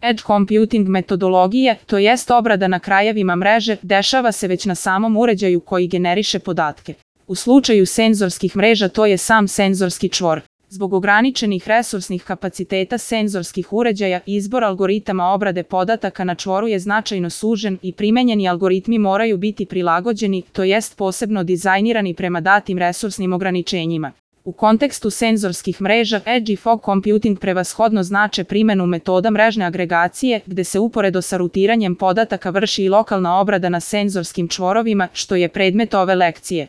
Edge computing metodologije, to jest obrada na krajevima mreže, dešava se već na samom uređaju koji generiše podatke. U slučaju senzorskih mreža to je sam senzorski čvor. Zbog ograničenih resursnih kapaciteta senzorskih uređaja, izbor algoritama obrade podataka na čvoru je značajno sužen i primenjeni algoritmi moraju biti prilagođeni, to jest posebno dizajnirani prema datim resursnim ograničenjima. U kontekstu senzorskih mreža, Edge i Fog computing prevashodno znače primenu metoda mrežne agregacije, gde se uporedo sa rutiranjem podataka vrši i lokalna obrada na senzorskim čvorovima, što je predmet ove lekcije.